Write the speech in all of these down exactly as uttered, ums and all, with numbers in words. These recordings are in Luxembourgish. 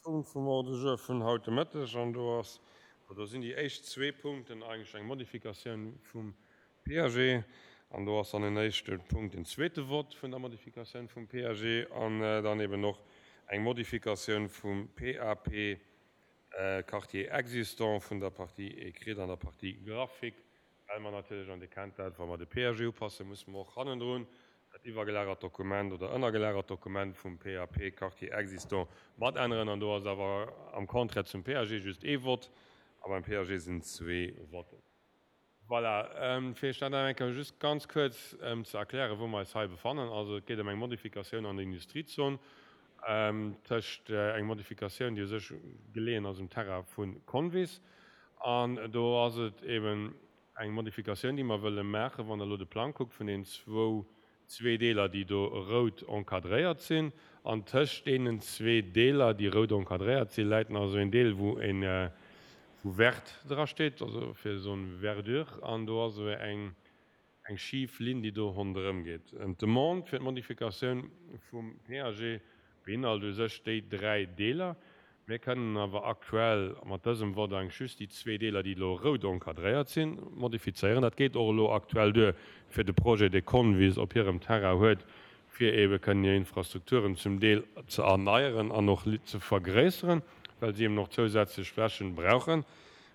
Punkt vum Ordre du jour vun haut de Mëtteg an do ass, do sinn déi éischt zwee Punkten eigentlech eng Modifikatioun vum P A G an do ass dann en éischte Punkt den zweete Vott vun der Modifikatioun vum P A G an dann eben och eng Modifikatioun vum P A P Quartier existant vun der Partie écrite an der Partie graphique, well mer natierlech, an Dir kennt dat, wa mer de P A G upassen, musse mer och hannendrun dat iwwergelagert Dokument oder ënnergelagert Dokument vum P A P Quartier existant mat änneren. An do ass awer am Contraire zum P A G just ee Vott a beim P A G sinn zwee Votten. Voilà, fir Iech dat nach eng Kéier just ganz kuerz ze erklären, wou mer eis hei befannen. Also et geet ëm eng Modifikatioun an der Industriezon, tëscht eng Modifikatioun, déi u sech geleeën ass um Terrain vu Convis. An do ass et eben eng Modifikatioun, déi mer wëlle maachen, wann Der elo de Plang kuckt vun den zwou zwee Deeler, déi do rout encadréiert sinn. An tëscht deenen zwee Deeler, déi rout encadréiert sinn, läit nach esou een Deel, wou een, wou vert dra steet, also fir Zone verdure, an do ass esou eng, eng schif Linn, déi do ronderëm geet. D'Demande fir d'Modifikatioun vum P A G beinhalt u sech déi dräi Deeler. Mir kënnen awer aktuell mat dësem Vott eigentlich just déi zwee Deeler, déi elo rout encadréiert sinn, modifizéieren. Dat geet och elo aktuell duer fir de Projet, dee Convis op hirem Terrain huet, fir ebe kënnen hir Infrastrukturen zum Deel ze erneieren an och ze vergréisseren, well si eben och zousätzlech Flächen brauchen.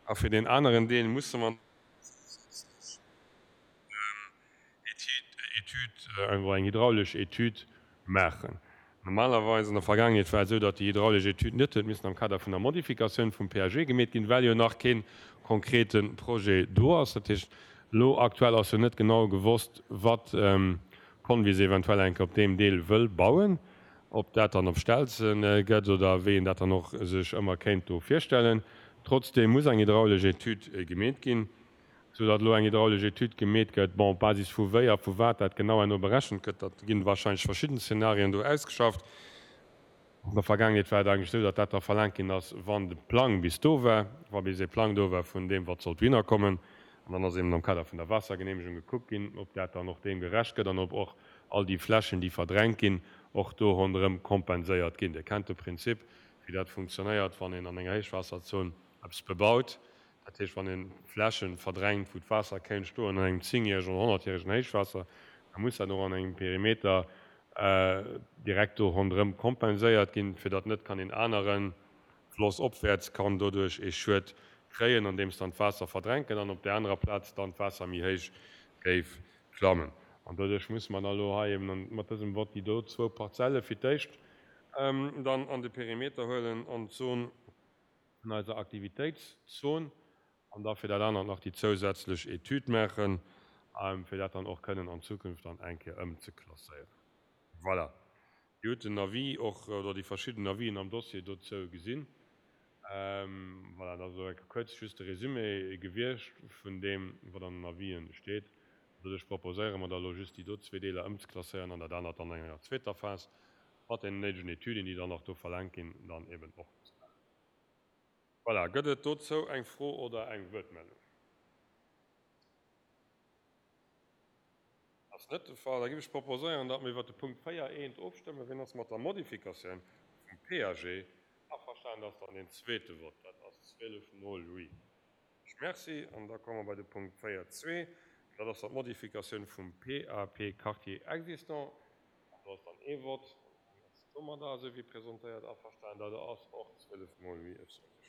A fir den aneren Deel musse mer Etüd, eng hydraulesch Etüd maachen. Normalerweis an der Vergaangenheet war et esou, datt déi hydraulesch Etüd net huet missen am Kader vun der Modifikatioun vum P A G gemeet ginn, well jo nach kee konkrete Projet do ass. Dat heescht, elo aktuell ass jo net genau gewosst, wat Convis eventuell eng Kéier op deem Deel wëll bauen, ob dat dann op Stelze gëtt oder wéi een dat dann och sech ëmmer kéint do virstellen. Trotzdeem muss eng hydraulesch Etüd gemeet ginn, soudatt elo eng hydraulesch Etüd gemeet gëtt. Bon, op Basis vu wéi a vu wat dat genau herno berechent gëtt, dat ginn wahrscheinlech verschidden Szenarien do ausgeschafft. An der Vergaangenheet war et eigentlech esou, datt dat da verlaangt ginn ass, wann de Plang bis do war, wa bis ee Plang do war vun deem, wat sollt dohinner kommen. An dann ass eben am Kader vun der Waassergenehmegung gekuckt ginn, ob dat dann och deem gerecht gëtt an ob och all déi Flächen, déi verdrängt ginn, och do ronderëm kompenséiert ginn. Dir kennt de Prinzip, wéi dat funktionéiert, wann een an enger Héichwaasserzon eppes bebaut. Dat heescht, wann een Flächen verdrängt, wou d'Waasser kéint stoen an engem zéngjäregen oder honnertjäregen Héichwaasser, da muss dat och an engem Perimeter direkt do ronderëm kompenséiert ginn, fir datt net kann een anere Floss opwäerts kann doduerch ee Schued kréien, andeems dann d'Waasser verdrängt gëtt an op där anerer Plaz dann d'Waasser méi héich géif klammen. An doduerch musse mer dann elo hei eben mat dësem Vott déi do zwou Parzelle fir d'éischt dann an de Perimeter huelen an d'Zon vun eiser Aktivitéitszon an da fir dat anert nach déi zousätzlech Etüd maachen, fir dat dann och kënnen an Zukunft dann eng Kéier ëmzeklasséieren. Voilà. Dir hutt den Avis och, oder déi verschidden Avisen am Dossier dozou gesinn. Voilà, dat ass elo eng Kéier kuerz just de Résumé gewiescht vun deem, wat an den Avisen steet. Doduerch proposéiere mer da elo just déi do zwee Deeler ëmzeklasséieren an dat anert dann an enger zweeter Phas mat den néidegen Etüden, déi dann nach do verlaangt ginn, dann eben och ze maachen. Voilà, gëtt et dozou eng Fro oder eng Wuertmeldung? Ass net de Fall. Da géif ech proposéieren, datt mer iwwert de Punkt véier eent ofstëmmen. Wien ass mat der Modifikatioun vum P A G averstanen? Dat ass dann deen zweete Vott. Dat ass zwielef mol oui. Ech merci. An da komme mer bei de Punkt véier zwee. Dat ass dann d'Modifikatioun vum P A P Quartier existant. An do ass dann ee Vott. Wien ass domadder, esou wéi presentéiert, averstanen? Dat ass och zwielef mol oui. Ech soen Iech